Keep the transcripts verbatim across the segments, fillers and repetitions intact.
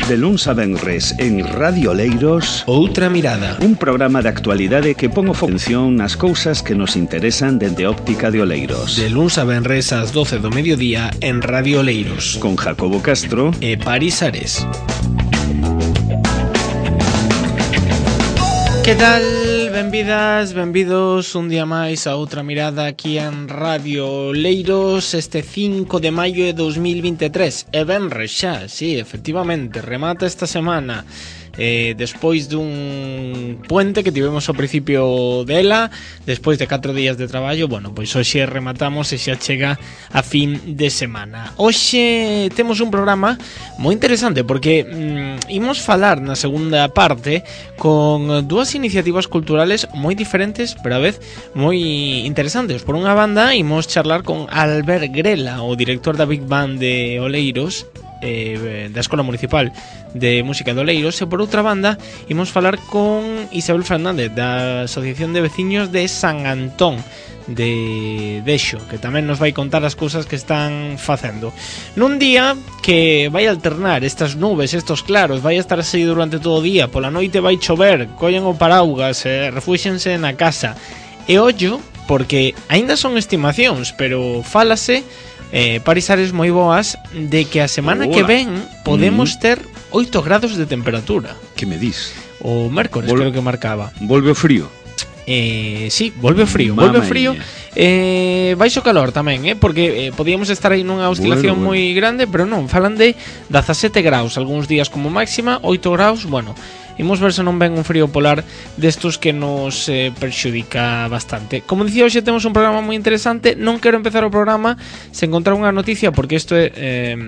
De luns a venres en Radio Oleiros, Outra Mirada, un programa de actualidade que pon o atención nas cousas que nos interesan dende óptica de Oleiros. De luns a venres ás doce do mediodía en Radio Oleiros, con Jacobo Castro e Paris Ares. Que tal? Benvidas, benvidos un día máis a Outra Mirada aquí en Radio Oleiros este cinco de maio de dos mil veintitrés. E venres xa, sí, efectivamente, remata esta semana. Eh, despois dun puente que tivemos ao principio dela, despois de catro días de traballo, bueno, pois hoxe rematamos e xa chega a fin de semana. Hoxe temos un programa moi interesante porque mm, imos falar na segunda parte con dúas iniciativas culturales moi diferentes, pero a vez moi interesantes. Por unha banda, imos charlar con Albert Grela, o director da Big Band de Oleiros, eh, da Escola Municipal de Música de Oleiros, e por outra banda imos falar con Isabel Fernández da Asociación de Veciños de San Antón de Dexo, que tamén nos vai contar as cousas que están facendo nun día que vai alternar estas nubes, estos claros, vai estar así durante todo o día. Pola noite vai chover, collen o paraugas, eh, refúxense na casa e ollo, porque aínda son estimacións, pero fálase Eh, Paris Ares moi boas de que a semana Hola. que ven podemos mm. ter oito grados de temperatura. Que me dis? O mércores Vol- creo que marcaba. Volve o frío? Eh, sí, volve o frío, Mama volve o frío. Eh, baixo calor tamén, eh, porque eh, podíamos estar aí nunha oscilación bueno, bueno. moi grande, pero non, falan de dezasete graus algúns días como máxima, oito graus, bueno. Imos ver se non ven un frío polar destos que nos eh, perxudica bastante. Como dicía, hoxe temos un programa moi interesante. Non quero empezar o programa sen encontrar unha noticia, porque isto é, eh,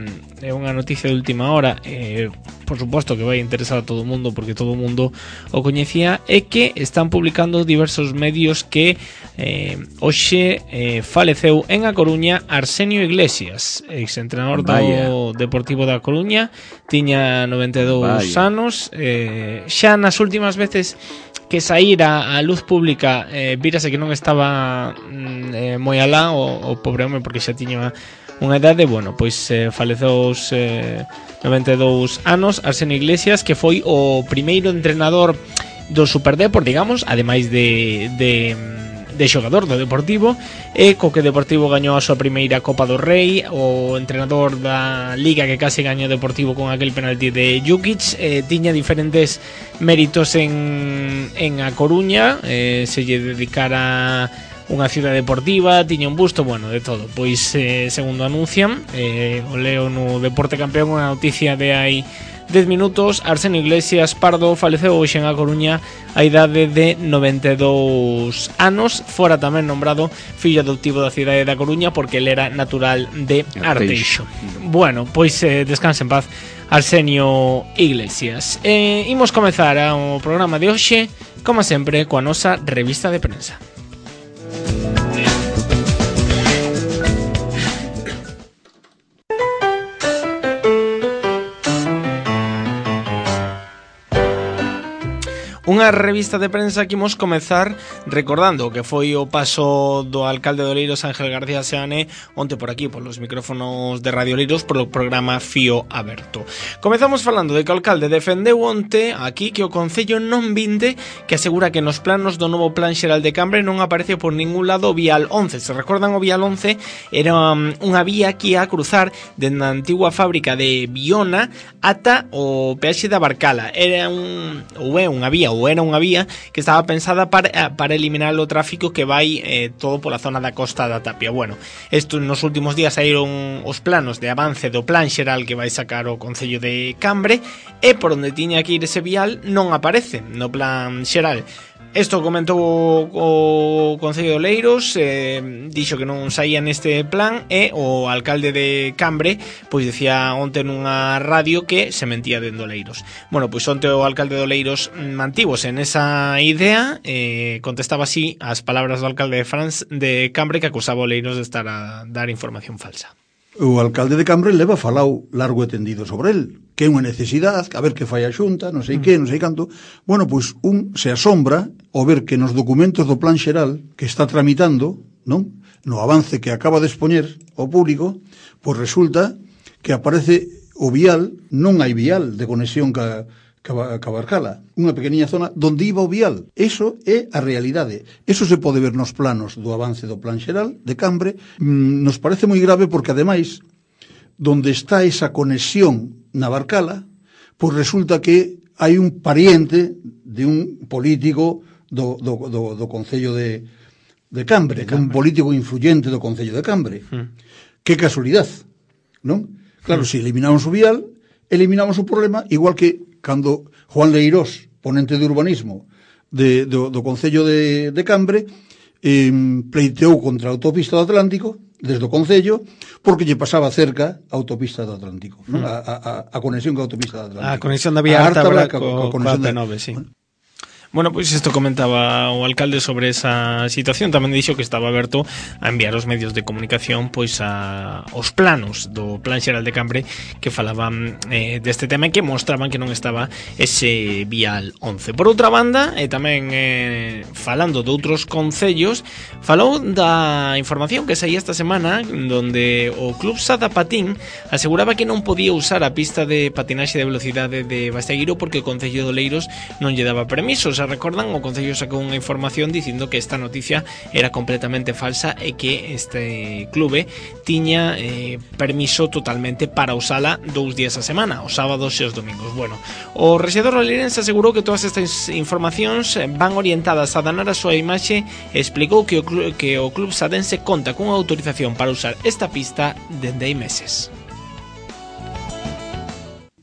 é unha noticia de última hora. eh, Por suposto que vai interesar a todo o mundo, porque todo o mundo o coñecía. É que están publicando diversos medios que eh, hoxe eh, faleceu en A Coruña Arsenio Iglesias, exentrenador do Deportivo da Coruña. Tiña noventa e dous Vaya. anos. eh, Xa nas últimas veces que saíra a luz pública, eh, vírase que non estaba mm, eh, moi alá o, o pobre home, porque xa tiña unha idade. Bueno, pois eh, faleceu aos eh, noventa e dous anos Arsenio Iglesias, que foi o primeiro entrenador do Superdepor, digamos, ademais de, de de xogador do Deportivo, e co que Deportivo gañou a súa primeira Copa do Rei, o entrenador da Liga que case gañou Deportivo con aquel penalti de Jukic. eh, tiña diferentes méritos en, en A Coruña, eh, se lle dedicara unha ciudad deportiva, tiña un busto, bueno, de todo. Pois, eh, segundo anuncian, eh, o leo no Deporte Campeón, unha noticia de hai dez minutos: Arsenio Iglesias Pardo faleceu hoxe en A Coruña a idade de noventa e dous anos. Fora tamén nombrado fillo adoptivo da cidade da Coruña, porque ele era natural de Arteixo. Bueno, pois eh, descanse en paz Arsenio Iglesias. eh, Imos comezar o programa de hoxe, como sempre, coa nosa revista de prensa. Unha revista de prensa que imos comezar recordando que foi o paso do alcalde de Oleiros, Ángel García Seane, onte por aquí, polos micrófonos de Radio Oleiros, polo programa Fío Aberto. Comezamos falando de que o alcalde defendeu onte aquí que o Concello non vinte, que asegura que nos planos do novo Plan Xeral de Cambre non aparece por ningún lado o Vial once. Se recordan, o Vial once era unha vía que ia a cruzar dende a antigua fábrica de Viona ata o peaxe da Barcala. Era un, ou é unha vía, ou era unha vía que estaba pensada para, para eliminar o tráfico que vai eh, todo pola zona da Costa da Tapia. Bueno, isto nos últimos días saíron os planos de avance do Plan Xeral que vai sacar o Concello de Cambre, e por onde tiña que ir ese vial non aparece no Plan Xeral. Isto comentou o, o Concello de Oleiros, eh, dixo que non saía neste plan, e o alcalde de Cambre pois decía onte nunha radio que se mentía dende Oleiros. Bueno, pois onte o alcalde de Oleiros mantívose en esa idea, eh, contestaba así as palabras do alcalde de, Franz, de Cambre, que acusaba a Oleiros de estar a dar información falsa. O alcalde de Cambre leva falado largo e tendido sobre el, que é unha necesidade, a ver que fai a xunta, non sei mm. que, non sei canto. Bueno, pois un se asombra ao ver que nos documentos do Plan Xeral que está tramitando, non? No avance que acaba de expoñer ao público, pois resulta que aparece o vial, non hai vial de conexión ca, ca, ca Barcala, unha pequeniña zona donde iba o vial. Eso é a realidade. Eso se pode ver nos planos do avance do plan xeral de Cambre. Mm, nos parece moi grave porque, ademais, donde está esa conexión na Barcala, pois resulta que hai un pariente de un político do, do, do, do Concello de, de Cambre, de Cambre, un político influyente do Concello de Cambre. Mm. Que casualidade, non? Claro, mm. se eliminamos o vial, eliminamos o problema, igual que cando Juan Leirós, ponente de urbanismo de, do, do Concello de, de Cambre, eh, pleiteou contra a autopista do Atlántico, desde o Concello, porque lle pasaba cerca a autopista do Atlántico, non? A, a, a conexión con a autopista do Atlántico. A conexión da vía Ártabra co, co, co A P nove, sí. Bueno, Bueno, pois isto comentaba o alcalde sobre esa situación. Tamén dixo que estaba aberto a enviar os medios de comunicación pois a os planos do Plan Xeral de Cambre que falaban eh, deste tema e que mostraban que non estaba ese vial once. Por outra banda, e tamén eh, falando de outros concellos, falou da información que saía esta semana donde o Club Sada Patín aseguraba que non podía usar a pista de patinaxe de velocidade de Bastegueiro porque o Concello de Oleiros non lle daba permisos. Se recordan, o Concello sacou unha información dicindo que esta noticia era completamente falsa e que este clube tiña eh, permiso totalmente para usala dous días a semana, os sábados e os domingos. Bueno, o rexedor oleirense asegurou que todas estas informacións van orientadas a danar a súa imaxe e explicou que o, club, que o club sadense conta cunha autorización para usar esta pista dende hai meses.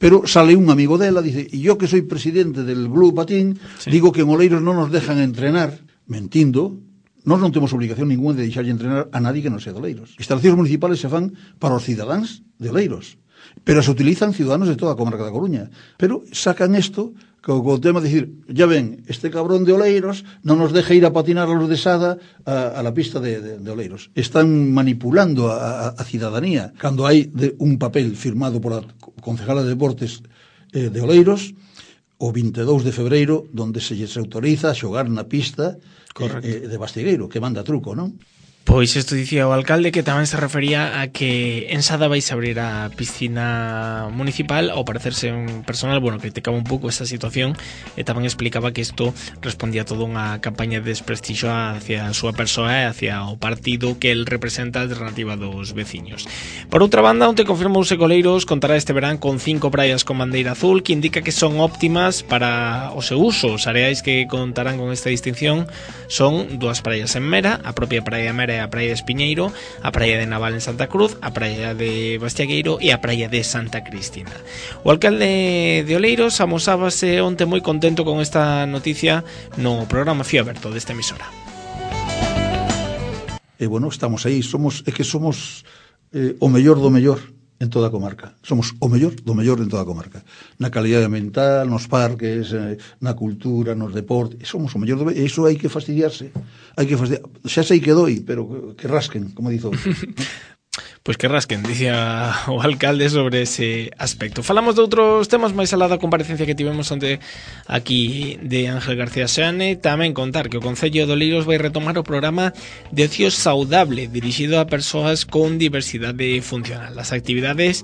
Pero sale un amigo dela, dice, y yo que soy presidente del Blue Patín, sí. digo que en Oleiros non nos dejan entrenar, mentindo, nós non temos obligación ninguna de deixarlle entrenar a nadie que non sea de Oleiros. Instalacións municipales se fan para os cidadáns de Oleiros, pero se utilizan ciudadanos de toda a comarca da Coruña. Pero sacan isto co, co tema de decir, ya ven, este cabrón de Oleiros non nos deja ir a patinar a los de Sada a, a la pista de, de, de Oleiros. Están manipulando a, a, a cidadanía cando hai de, un papel firmado por a concejala de Deportes eh, de Oleiros o vinte e dous de febreiro donde se lles autoriza a xogar na pista eh, de Bastegueiro, que manda truco, non? Pois isto dicía o alcalde, que tamén se refería a que en Sada vais a abrir a piscina municipal. Ao parecerse un personal, bueno, criticaba un pouco esta situación e tamén explicaba que isto respondía a toda unha campaña de desprestixio hacia a súa persoa e hacia o partido que el representa, a alternativa dos veciños. Por outra banda, onte confirmouse que Oleiros contará este verán con cinco praias con bandeira azul, que indica que son óptimas para o seu uso. Os areais que contarán con esta distinción son dúas praias en Mera, a propia praia Mera e a praia de Espiñeiro, a praia de Naval en Santa Cruz, a praia de Bastiagueiro e a praia de Santa Cristina. O alcalde de Oleiros amosábase onte moi contento con esta noticia no programa Fío Aberto desta emisora. E bueno, estamos aí, somos é que somos eh, o mellor do mellor en toda a comarca. Somos o mellor do mellor en toda a comarca. Na calidade ambiental, nos parques, eh, na cultura, nos deportes, somos o mellor do mellor. E iso hai que fastidiarse. Hai que fastidiar. Xa sei que doi, pero que rasquen, como dizo. Pois que rasquen, dicía o alcalde sobre ese aspecto. Falamos de outros temas máis alá da comparecencia que tivemos onte aquí de Ángel García Seane. Tamén contar que o Concello de Oleiros vai retomar o programa de ocio saudable dirixido a persoas con diversidade funcional. As actividades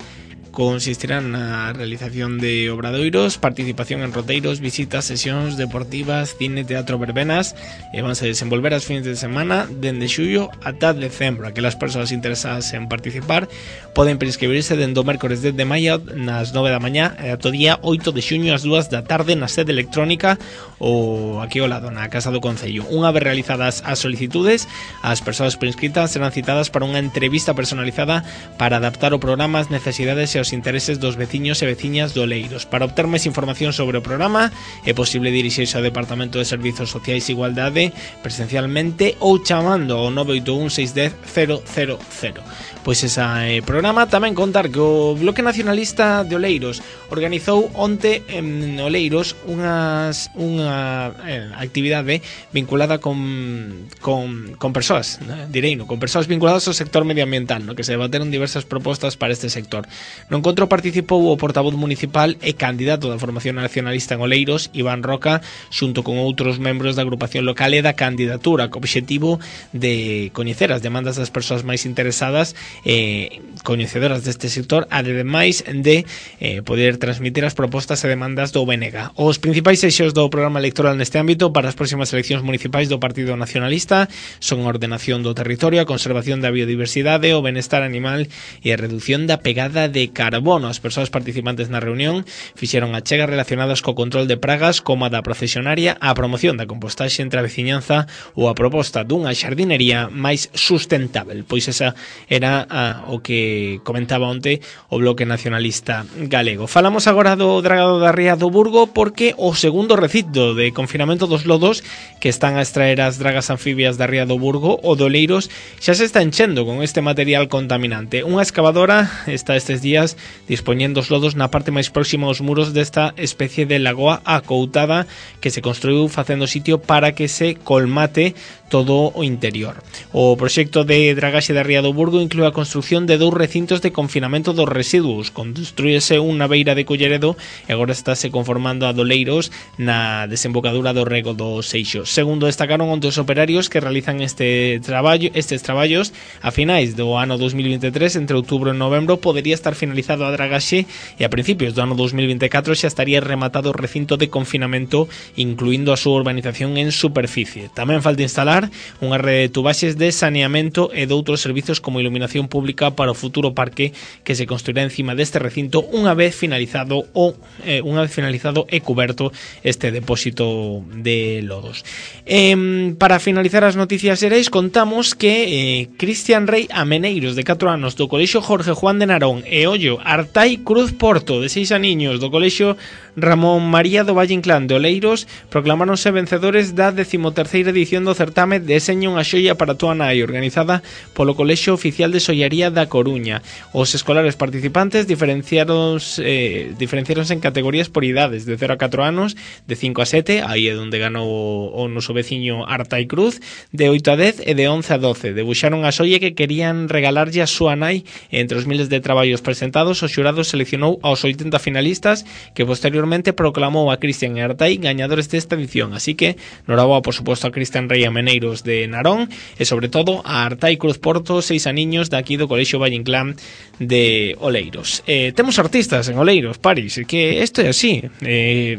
consistirán na realización de obradoiros, participación en roteiros, visitas, sesións deportivas, cine, teatro, verbenas, e vanse desenvolver as fins de semana dende xullo ata decembro. Aquelas persoas interesadas en participar poden prescribirse dende o mércores dez de maio nas nove da mañá e ata o día oito de xuño ás dúas da tarde na sede electrónica ou aquí ao lado na Casa do Concello. Unha vez realizadas as solicitudes, as persoas prescritas serán citadas para unha entrevista personalizada para adaptar o programa ás necesidades e os intereses dos veciños e veciñas do Oleiros. Para obter máis información sobre o programa é posible dirixirse ao Departamento de Servizos Sociais e Igualdade presencialmente ou chamando ao nove oito un seis un cero cero cero cero. Pois esa é eh, programa. Tamén contar que o Bloque Nacionalista de Oleiros organizou onte en Oleiros unhas, unha eh, actividade vinculada con, con, con persoas, ¿no? Direino, con persoas vinculadas ao sector medioambiental, no que se debateron diversas propostas para este sector. No encontro participou o portavoz municipal e candidato da formación nacionalista en Oleiros, Iván Roca, xunto con outros membros da agrupación local e da candidatura, co obxectivo de coñecer as demandas das persoas máis interesadas e eh, coñecedoras deste sector, ademais de eh, poder transmitir as propostas e demandas do B N G. Os principais eixos do programa electoral neste ámbito para as próximas eleccións municipais do Partido Nacionalista son a ordenación do territorio, a conservación da biodiversidade, o benestar animal e a reducción da pegada de carbono. As persoas participantes na reunión fixeron achegas relacionadas co control de pragas como a da procesionaria, a promoción da compostaxe entre a veciñanza ou a proposta dunha xardinería máis sustentável. Pois esa era a, o que comentaba onte o Bloque Nacionalista Galego. Falamos agora do dragado da Ría do Burgo porque o segundo recinto de confinamento dos lodos que están a extraer as dragas anfibias da Ría do Burgo, o de Oleiros, xa se está enchendo con este material contaminante. Unha excavadora está estes días dispoñendo os lodos na parte máis próxima aos muros desta especie de lagoa acoutada que se construiu facendo sitio para que se colmate todo o interior. O proxecto de dragaxe da Ría do Burgo inclúe a construción de dous recintos de confinamento dos residuos. Construíese un na beira de Culleredo e agora estáse conformando a Doleiros na desembocadura do rego do Seixo. Segundo destacaron onte os operarios que realizan este traballo, estes traballos a finais do ano dos mil veintitrés, entre outubro e novembro, podería estar finalizado a dragaxe e a principios do ano dos mil veinticatro xa estaría rematado o recinto de confinamento, incluindo a súa urbanización en superficie. Tamén falta instalar unha rede de tubaxes de saneamento e de outros servizos como iluminación pública para o futuro parque que se construirá encima deste recinto unha vez finalizado o eh, unha vez finalizado e cuberto este depósito de lodos. Eh, para finalizar as noticias xerais, contamos que eh, Cristian Rei Ameneiros, de catro anos, do Colexio Jorge Juan de Narón, e Ollo Artai Cruz Porto, de seis aniños, do Colexio Ramón María do Valle Inclán de Oleiros, proclamáronse vencedores da decimoterceira edición do certame Deseña unha xoia para túa nai, organizada polo Colexio Oficial de Xollaría da Coruña. Os escolares participantes diferenciaronse, eh, diferenciaronse en categorías por idades, de cero a catro anos, de cinco a sete, aí é onde ganou o, o noso veciño Artai Cruz, de oito a dez e de once a doce. Debuxaron a xoia que querían regalarlle a súa nai. Entre os miles de traballos presentados, o xurado seleccionou aos oitenta finalistas que posteriormente proclamou a Cristian e Artai gañadores desta edición. Así que, noraboa, por suposto, a Cristian Rei Ameneiros de Narón e sobre todo a Artai Cruz Porto, seis aniños, daqui do Colexio Valle Inclán de Oleiros. Eh, temos artistas en Oleiros, Paris, que isto é así. Eh,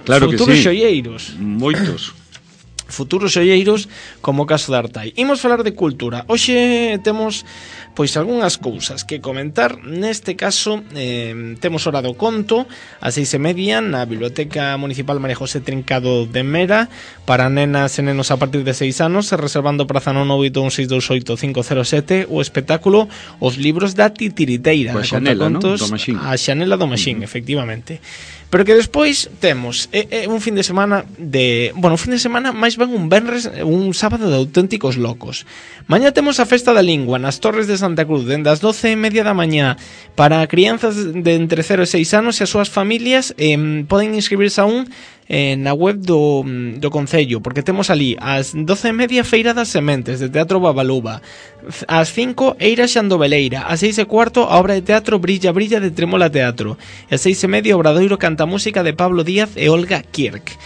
claro futuros que sí. Xoieiros. Moitos. Futuros xoieiros, como o caso da Artai. Imos falar de cultura. Hoxe temos pois algunhas cousas que comentar. Neste caso eh, temos hora do conto a seis e media na Biblioteca Municipal María José Trincado de Mera para nenas e nenos a partir de seis anos, reservando praza no nove oito un seis dous oito cinco cero sete. O espectáculo Os libros da Titiriteira, a Xanela, non? Do Maxín. A Xanela do Maxín, uh-huh. Efectivamente. Pero que despois temos eh, eh, un fin de semana de... Bueno, un fin de semana máis ben un venres, un sábado de auténticos locos. Mañá temos a Festa da Lingua nas Torres de Santa Cruz, dende as doce e media da mañá, para crianzas de entre cero e seis anos e as súas familias. eh, Poden inscribirse aún eh, na web do, do Concello, porque temos ali ás doce e media Feira das Sementes, de Teatro Babaluba, ás cinco Eira Xandoveleira, ás seis e cuarto a obra de teatro Brilla Brilla de Tremola Teatro, e ás seis e media Obradoiro Canta Música de Pablo Díaz e Olga Kirk.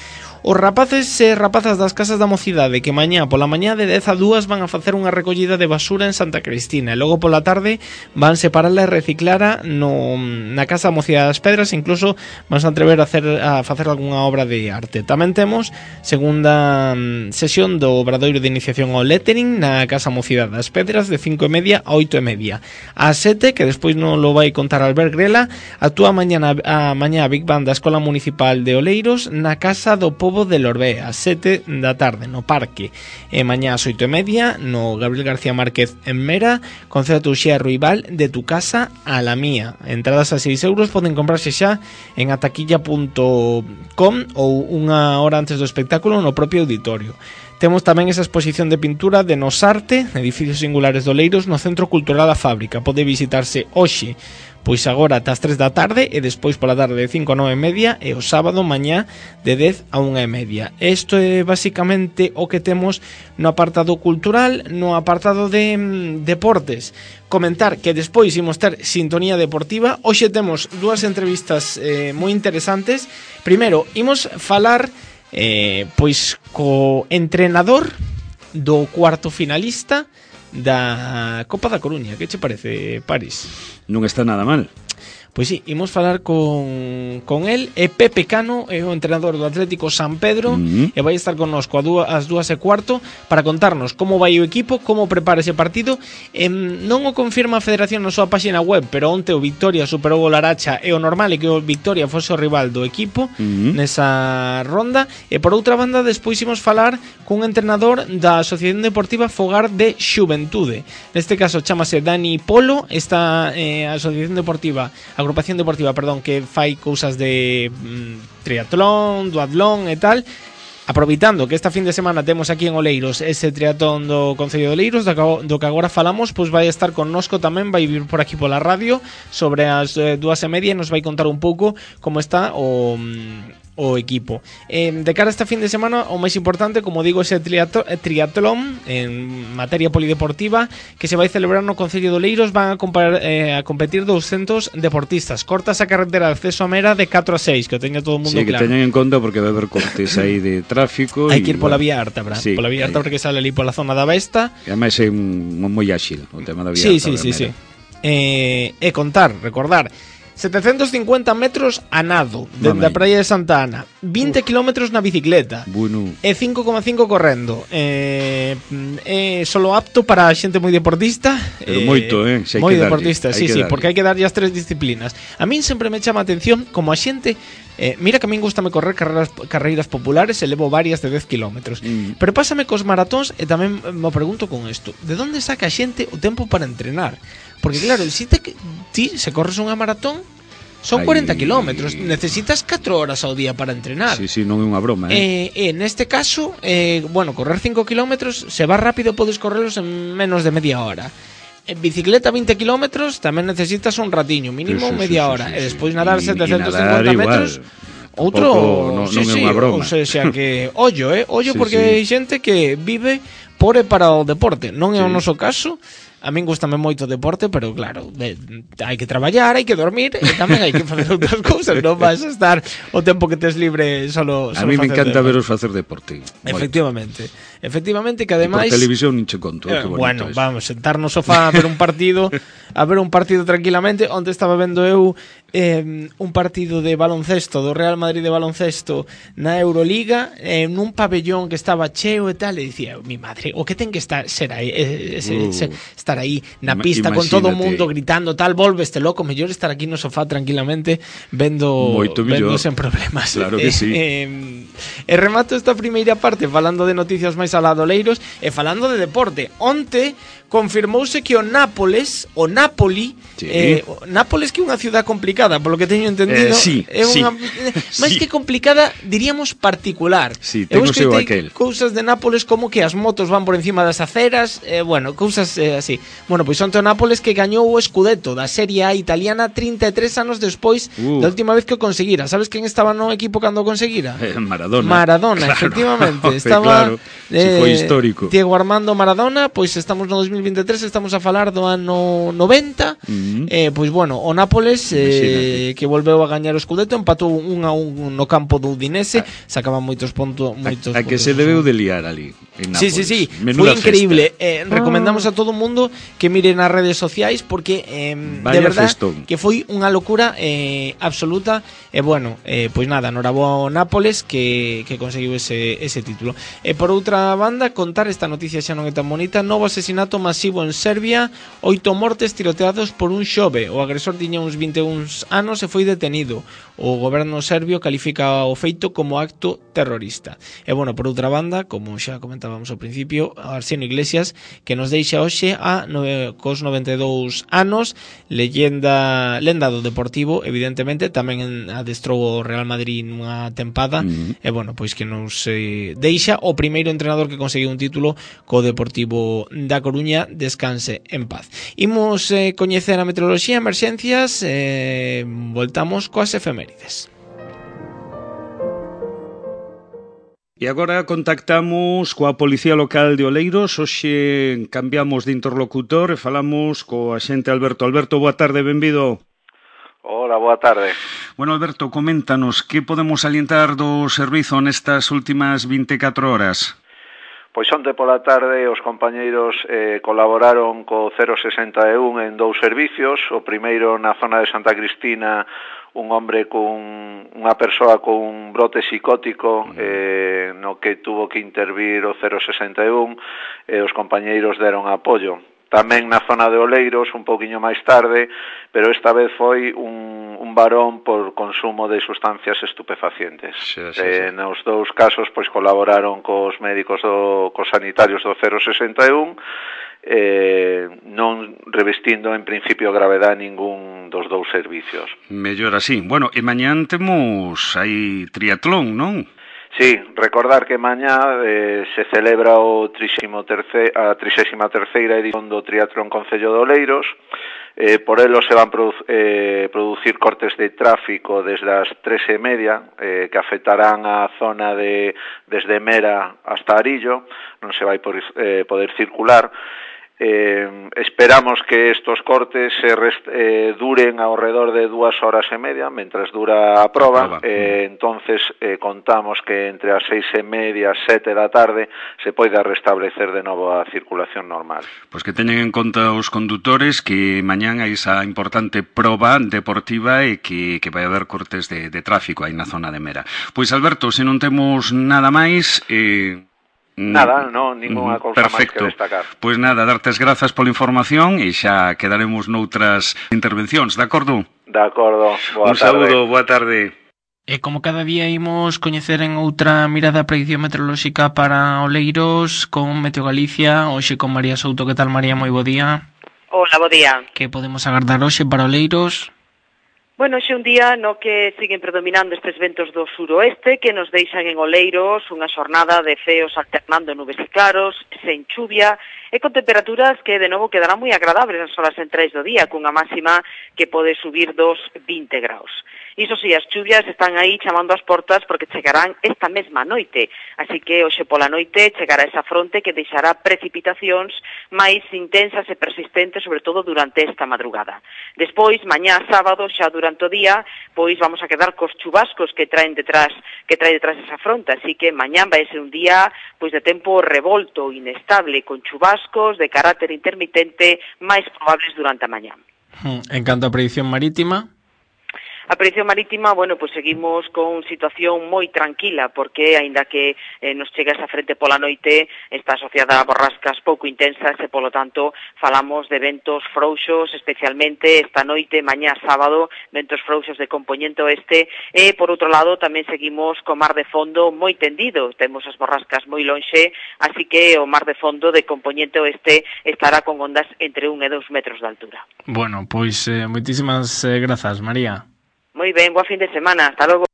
Os rapaces e rapazas das casas da mocidade que mañá pola mañá de dez a dúas van a facer unha recollida de basura en Santa Cristina e logo pola tarde van separarla e reciclara no, na Casa da Mocidade das Pedras, e incluso van a atrever a, hacer, a facer algunha obra de arte. Tamén temos segunda mm, sesión do obradoiro de iniciación ao lettering na Casa Mocidade das Pedras de cinco e media a oito e media. A sete, que despois non lo vai contar Albert Grela, actúa mañá a mañá a Big Band da Escola Municipal de Oleiros na Casa do Pobo de Lorbé, a sete da tarde no parque. E mañá ás oito e media no Gabriel García Márquez en Mera, concerto Uxía Ruibal de Tu Casa a la Mía. Entradas a seis euros, poden comprarse xa en ataquilla punto com ou unha hora antes do espectáculo no propio auditorio. Temos tamén esa exposición de pintura de Nosarte, Edificios Singulares do Oleiros, no Centro Cultural A Fábrica. Pode visitarse hoxe, pois agora ata as tres da tarde, e despois pola tarde de cinco a nove e media, e o sábado mañá de dez a unha e media. Isto é basicamente o que temos no apartado cultural. No apartado de mm, deportes, comentar que despois imos ter sintonía deportiva. Hoxe temos dúas entrevistas eh, moi interesantes. Primeiro, imos falar eh, pois co entrenador do cuarto finalista da Copa da Coruña. Que che parece, Paris? Non está nada mal. Pois sí, imos falar con, con el. É Pepe Cano, é o entrenador do Atlético San Pedro, uh-huh. e vai estar connosco a dúas, as dúas e cuarto para contarnos como vai o equipo, como prepara ese partido. eh, Non o confirma a Federación na súa página web, pero onte o Victoria superou o Laracha, e o normal é que o Victoria fose o rival do equipo uh-huh. nesa ronda. E por outra banda, despois imos falar cun entrenador da Asociación Deportiva Fogar de Xuventude. Neste caso chamase Dani Polo. Esta eh, Asociación Deportiva agrupación deportiva, perdón, que fai cousas de mm, triatlón, duatlón e tal. Aproveitando que esta fin de semana temos aquí en Oleiros ese triatlón do Concello de Oleiros, do que agora falamos, pois vai estar connosco tamén, vai vir por aquí pola radio sobre as eh, dúas e media, e nos vai contar un pouco como está o... Mm, o equipo. Eh, de cara a esta fin de semana, o máis importante, como digo, ese triatlón en materia polideportiva que se vai celebrar no Concello de Oleiros. Van a, compar, eh, a competir doscientos deportistas. Cortas a carretera de acceso a Mera de catro a seis, que o teña todo o mundo sí, claro. Sí, que teñan en conta porque vai haber cortes aí de tráfico. Hai que ir pola vía Ártabra, sí, pola vía Ártabra, que sale ali pola zona da Besta. E ademais é un, moi áxil o tema da vía sí, Ártabra. Sí, sí, sí. Eh, e contar, recordar, setecientos cincuenta metros a nado dende a praia de Santa Ana, vinte kilómetros na bicicleta, bueno. E cinco coma cinco correndo. É eh, eh, solo apto para xente moi deportista. Pero eh, moito, eh? Se hai moi que deportista, darlle, sí, sí, darlle. porque hai que darlle as tres disciplinas. A min sempre me chama a atención como a xente. Eh, mira que a min gustame correr carreras, carreiras populares, e levo varias de dez kilómetros. Mm. Pero pásame cos maratóns, e tamén me pregunto con isto: de onde saca a xente o tempo para entrenar? Porque claro, si te, ti se corres unha maratón, son cuarenta kilómetros, necesitas catro horas ao día para entrenar. Sí, sí, non é unha broma, eh? Eh, eh, neste caso, eh, bueno, correr cinco kilómetros, se va rápido podes correlos en menos de media hora. En bicicleta vinte kilómetros tamén necesitas un ratiño, mínimo sí, sí, media sí, hora, sí, sí, e despois nadar y, setecientos cincuenta metros. Outro, no, sí, non sí, é unha broma. O sea que ollo, eh, ollo sí, porque sí. hai xente que vive por e para o deporte. Non é sí. o noso caso. A min gustame moito o deporte, pero claro, de, hai que traballar, hai que dormir, e tamén hai que facer outras cousas. Non vas a estar o tempo que tes libre solo, solo a mí me encanta deporte. veros facer deporte. Efectivamente. Moito. Efectivamente, que ademais... Por televisión nin che conto. Eh, bueno, eso. Vamos, sentar no sofá a ver un partido, a ver un partido tranquilamente. Onde estaba vendo eu eh, un partido de baloncesto, do Real Madrid de baloncesto na Euroliga, eh, nun pabellón que estaba cheo e tal, e dicía, mi madre, o que ten que estar ser aí, ese, uh. ese, estar aí na pista con todo o mundo gritando tal, volveste loco, mellor estar aquí no sofá tranquilamente vendo, vendo sen problemas. Claro que sí. Eh, eh, e remato esta primeira parte falando de noticias máis aladoleiros e falando de deporte. Onte confirmouse que o Nápoles, o Napoli, sí. eh, o Nápoles que é unha ciudad complicada, polo que teño entendido, eh, sí, é unha sí. máis que complicada, diríamos particular. Sí, eu escoitei cousas de Nápoles como que as motos van por encima das aceras, eh, bueno, cousas eh, así. Bueno, pois onte o Nápoles que gañou o Scudetto da Serie A italiana trinta e tres anos despois uh. da última vez que o conseguira. Sabes quen estaba no equipo cando o conseguira? Eh, Maradona. Maradona, claro. Efectivamente. Estaba claro. eh, foi histórico. Diego Armando Maradona, pois estamos no dos mil vinte e tres, estamos a falar do ano noventa. Uh-huh. Eh, pois bueno, o Nápoles eh, que volveu a gañar o Scudetto, empatou un a un no campo do Udinese, ah. sacaban moitos pontos, moitos a, a que se debeu de liar ali en Nápoles. Sí, sí, sí, foi increíble. Eh, recomendamos a todo o mundo que mire nas redes sociais porque eh, de verdad festón. Que foi unha locura eh, absoluta. E eh, bueno, eh, pois nada, norabo Nápoles que, que conseguiu ese, ese título. E eh, por outra banda, contar esta noticia xa non é tan bonita. Novo asesinato masivo en Serbia, oito mortes, tiroteados por un xove. O agresor tiña uns vinte e un anos e foi detenido. O goberno serbio califica o feito como acto terrorista. E, bueno, por outra banda, como xa comentábamos ao principio, Arseno Iglesias, que nos deixa hoxe a nove, cos noventa e dous anos, leyenda, lenda do Deportivo, evidentemente, tamén adestrou o Real Madrid nunha tempada, mm. e, bueno, pois que nos eh, deixa o primeiro entrenador que conseguiu un título co Deportivo da Coruña. Descanse en paz. Imos eh, coñecer a meteoroloxía, emerxencias, e eh, voltamos coas efemérides. E agora contactamos coa Policía Local de Oleiros. Hoxe cambiamos de interlocutor e falamos co axente Alberto. Alberto, boa tarde, benvido. Hola, boa tarde. Bueno, Alberto, coméntanos, que podemos alientar do servizo nestas últimas vinte e catro horas? Pois onte pola tarde os compañeiros eh, colaboraron co cero sesenta e un en dous servicios. O primeiro na zona de Santa Cristina, un hombre con unha persoa con un brote psicótico eh, no que tuvo que intervir o cero sesenta e un e os compañeiros deron apoio. Tamén na zona de Oleiros, un pouquiño máis tarde, pero esta vez foi un, un varón por consumo de sustancias estupefacientes. Sí, sí, eh, sí. Nos dous casos, pois, colaboraron cos médicos, do, cos sanitarios do cero sesenta e un, eh, non revestindo en principio gravedade ningún dos dous servicios. Mellor así. Bueno, e mañán temos aí triatlón, non? Sí, recordar que mañá eh, se celebra o trixésimo terce, a trixésima terceira edición do Triatlón Concello de Oleiros. Eh, por elo se van produ eh, producir cortes de tráfico desde as tres e media eh, que afectarán a zona de desde Mera hasta Arillo. Non se vai por, eh, poder circular. Eh, esperamos que estos cortes se rest, eh, duren ao redor de dúas horas e media, mentras dura a proba. Eh, entonces eh, contamos que entre as seis e media, sete da tarde, se poida restablecer de novo a circulación normal. Pois que teñen en conta os condutores que mañán hai esa importante proba deportiva e que, que vai haber cortes de, de tráfico aí na zona de Mera. Pois, Alberto, se non temos nada máis... Eh... Nada, non, ninguna cousa máis que destacar. Pois nada, dartes grazas pola información e xa quedaremos noutras intervencións, de acordo? De acordo, boa Un tarde. saúdo, boa tarde. E como cada día imos coñecer en outra mirada a predicción meteorolóxica para Oleiros con Meteo Galicia, hoxe con María Souto. Que tal, María? Moi bo día. Hola, bo día. Que podemos agardar hoxe para Oleiros? Bueno, xe un día no que siguen predominando estes ventos do suroeste que nos deixan en Oleiros unha xornada de ceos alternando nubes e claros, sen chuvia e con temperaturas que de novo quedarán moi agradables nas horas centrais do día, cunha máxima que pode subir dos vinte graus. Iso si, as chuvias están aí chamando as portas porque chegarán esta mesma noite, así que hoxe pola noite chegará esa fronte que deixará precipitacións máis intensas e persistentes, sobre todo durante esta madrugada. Despois, mañá sábado, xa durante o día, pois vamos a quedar cos chubascos que traen detrás, que trae detrás esa fronte, así que mañán vai ser un día pois de tempo revolto, inestable, con chubascos de carácter intermitente máis probables durante a mañá. En canto a predicción marítima... A predicción marítima, bueno, pues seguimos con situación moi tranquila, porque aínda que eh, nos chega esa frente pola noite, está asociada a borrascas pouco intensas e, polo tanto, falamos de ventos frouxos, especialmente esta noite, mañá sábado, ventos frouxos de compoñente oeste, e, por outro lado, tamén seguimos co mar de fondo moi tendido, temos as borrascas moi lonxe, así que o mar de fondo de compoñente oeste estará con ondas entre un e dous metros de altura. Bueno, pois eh, moitísimas eh, grazas, María. Moi ben, boa fin de semana, hasta logo.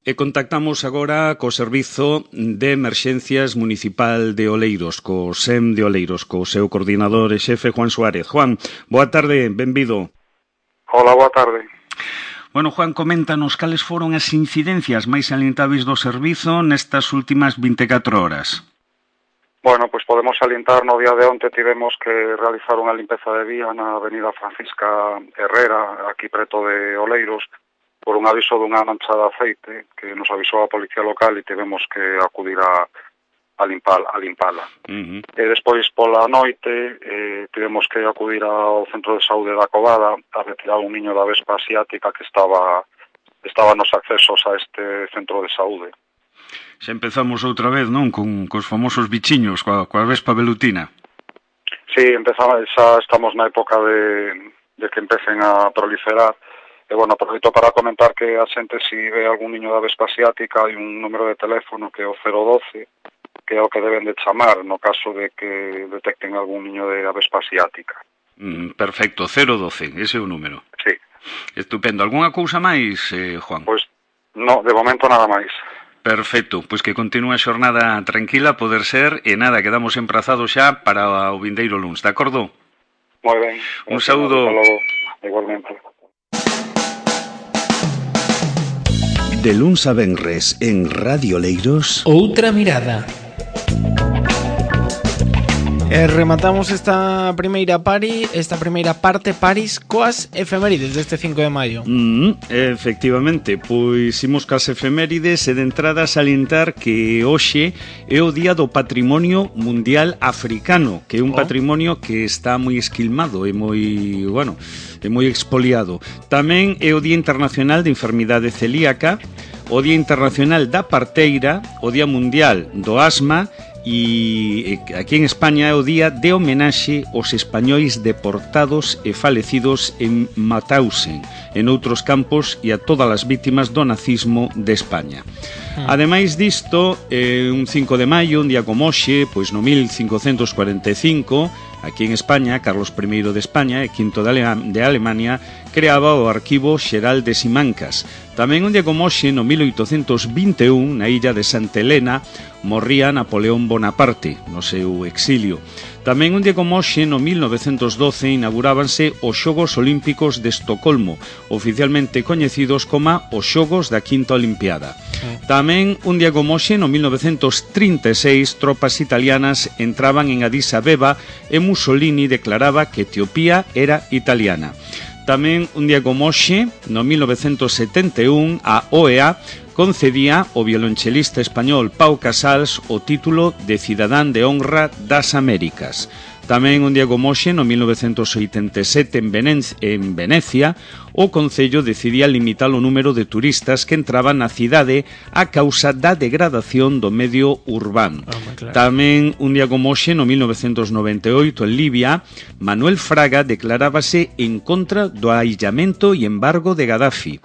E contactamos agora co Servizo de Emerxencias Municipal de Oleiros, co S E M de Oleiros, co seu coordinador e xefe Juan Suárez. Juan, boa tarde, benvido. Hola, boa tarde. Bueno, Juan, coméntanos cales foron as incidencias máis salientáveis do servizo nestas últimas vinte e catro horas. Bueno, pois podemos salientar, no día de onte tivemos que realizar unha limpeza de vía na avenida Francisca Herrera, aquí preto de Oleiros, por un aviso dunha mancha de aceite que nos avisou a Policía Local e tivemos que acudir a, a, limpar, a limpala. Uh-huh. E despois pola noite eh, tivemos que acudir ao Centro de Saúde da Covada a retirar un niño da vespa asiática que estaba, estaba nos accesos a este centro de saúde. Xa empezamos outra vez, non? Con cos famosos bichiños, coa, coa vespa velutina. Sí, empezamos, xa estamos na época de, de que empecen a proliferar. E, bueno, aproveito para comentar que a xente, se si ve algún niño da vespa asiática, hai un número de teléfono que é o cero doce, que é o que deben de chamar no caso de que detecten algún niño de vespa asiática. Mm, perfecto, cero doce, ese é o número. Sí. Estupendo. Algúnha cousa máis, eh, Juan? Pois, no, de momento nada máis. Perfecto, pois que continúe a xornada tranquila, poder ser, e nada, quedamos emprazados xa para o vindeiro luns, de acordo? Moi ben. Un saúdo. Igualmente. De luns a venres en Radio Oleiros, Outra mirada. E rematamos esta primeira pari, esta primeira parte Paris coas efemérides deste cinco de maio. Mm, efectivamente, pois imos cas efemérides e de entrada salientar que hoxe é o Día do Patrimonio Mundial Africano, que é un oh. patrimonio que está moi esquilmado e moi, bueno, é moi expoliado. Tamén é o Día Internacional de Enfermidade Celíaca, o Día Internacional da Parteira, o Día Mundial do Asma, e aquí en España é o día de homenaxe aos españois deportados e falecidos en Mauthausen, en outros campos, e a todas as vítimas do nazismo de España. Ademais disto, eh, un cinco de maio, un día como hoxe, pois no mil cincocentos cuarenta e cinco, aquí en España, Carlos primeiro de España e quinto de, Ale de Alemania creaba o Arquivo Xeral de Simancas. Tamén un día como hoxe, no mil oitocentos vinte e un, na illa de Santa Helena, morría Napoleón Bonaparte no seu exilio. Tamén un día como hoxe, no mil novecentos doce, inaugurábanse os Xogos Olímpicos de Estocolmo, oficialmente coñecidos como os Xogos da Quinta Olimpiada. Tamén un día como hoxe, no mil novecentos trinta e seis, tropas italianas entraban en Addis Abeba e Mussolini declaraba que Etiopía era italiana. Tamén un día como hoxe, no mil novecentos setenta e un, a O E A concedía ao violonchelista español Pau Casals o título de Cidadán de Honra das Américas. Tamén un día como hoxe, no mil novecentos oitenta e sete, en, Venez en Venecia, o Concello decidía limitar o número de turistas que entraban na cidade a causa da degradación do medio urbano. Oh, claro. Tamén un día como hoxe, no mil novecentos noventa e oito, en Libia, Manuel Fraga declarábase en contra do aillamento e embargo de Gaddafi.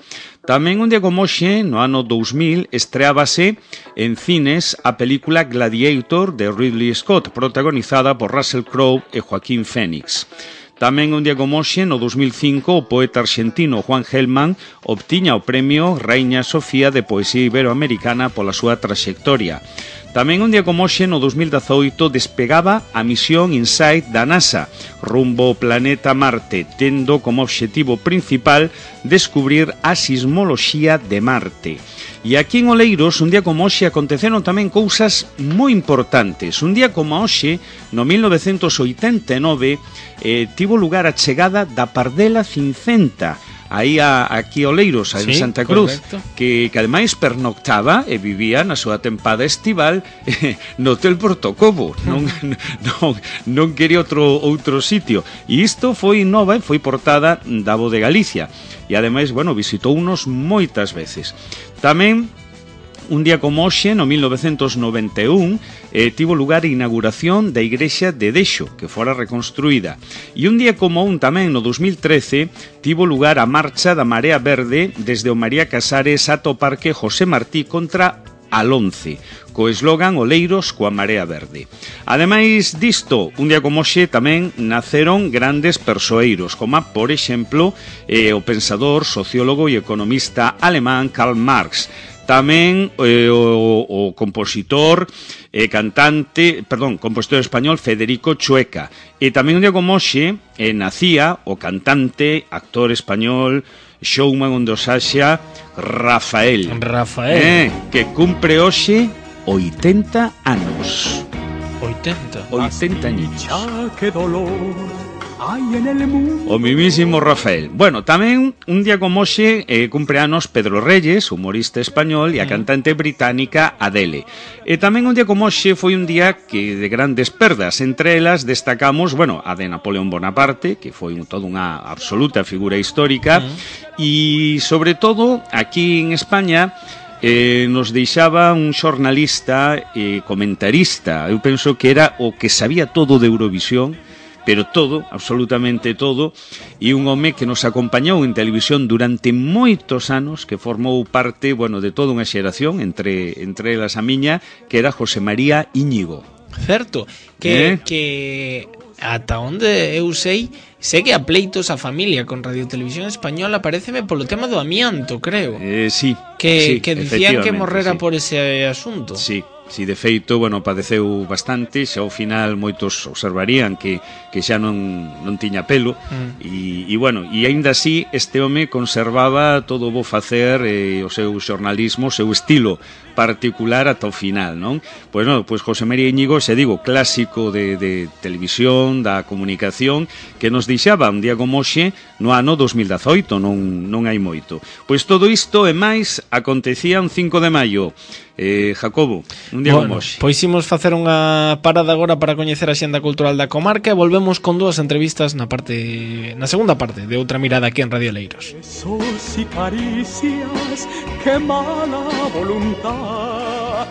Tamén un día como hoxe, no ano dous mil, estreábase en cines a película Gladiator de Ridley Scott, protagonizada por Russell Crowe e Joaquín Phoenix. Tamén un día como hoxe, no dos mil cinco, o poeta arxentino Juan Gelman obtiña o premio Rainha Sofía de Poesía Iberoamericana pola súa traxectoria. Tamén un día como hoxe, no dos mil dezoito, despegaba a misión InSight da NASA rumbo ao planeta Marte, tendo como obxectivo principal descubrir a sismoloxía de Marte. E aquí en Oleiros, un día como hoxe, aconteceron tamén cousas moi importantes. Un día como hoxe, no mil novecentos oitenta e nove, eh, tivo lugar a chegada da Pardela Cincenta, aí a, aquí a Oleiros, a sí, en Santa Cruz, que, que ademais pernoctaba e vivía na súa tempada estival eh, no Hotel Portocobo, non, non, non quería outro, outro sitio. E isto foi nova, foi portada da Voz de Galicia, e ademais, bueno, visitounos moitas veces. Tamén un día como hoxe, no mil novecentos noventa e un, eh, tivo lugar a inauguración da igrexa de Dexo, que fora reconstruída. E un día como un tamén, no dos mil trece, tivo lugar a marcha da Marea Verde desde o María Casares ata o Parque José Martí contra Alonce, co eslogan Oleiros coa Marea Verde. Ademais disto, un día como hoxe tamén naceron grandes persoeiros, como, por exemplo, eh, o pensador, sociólogo e economista alemán Karl Marx. Tamén eh, o, o compositor e eh, cantante, perdón, compositor español Federico Chueca. E tamén un día como hoxe eh, nacía o cantante, actor español, showman ondosaxa Rafael. Rafael. Eh, que cumpre hoxe oitenta anos. oitenta? oitenta años. Que dolor. O mimísimo Rafael. Bueno, tamén un día como hoxe eh, cumpre anos Pedro Reyes, humorista español, e a cantante británica Adele. E tamén un día como hoxe foi un día que de grandes perdas. Entre elas destacamos, bueno, a de Napoleón Bonaparte, que foi un, toda unha absoluta figura histórica, e sobre todo aquí en España eh, nos deixaba un xornalista e eh, comentarista, eu penso que era o que sabía todo de Eurovisión, pero todo, absolutamente todo, e un home que nos acompañou en televisión durante moitos anos, que formou parte, bueno, de toda unha xeración, entre, entre elas a miña, que era José María Íñigo. Certo, que, Eh? que ata onde eu sei, segue a pleitos a familia con Radio Televisión Española, paréceme polo tema do amianto, creo. Eh, sí, Que, sí, que dicían que efectivamente, morrera sí. por ese asunto. Sí, si de feito, bueno, padeceu bastante, xa ao final moitos observarían que, que xa non, non tiña pelo, Mm. e, e bueno, e aínda así este home conservaba todo o bo facer, eh, o seu xornalismo, o seu estilo particular ata o final, non? Pois non, pois José María Íñigo, se digo, clásico de, de televisión, da comunicación, que nos deixaba un día como hoxe no ano dos mil dezaoito, non, non hai moito. Pois todo isto e máis acontecía un cinco de maio. Eh, Jacobo, un día Bueno, como hoxe. pois imos facer unha parada agora para coñecer a xenda cultural da comarca e volvemos con dúas entrevistas na parte na segunda parte de Outra Mirada aquí en Radio Leiros. Besos y caricias, qué mala voluntad.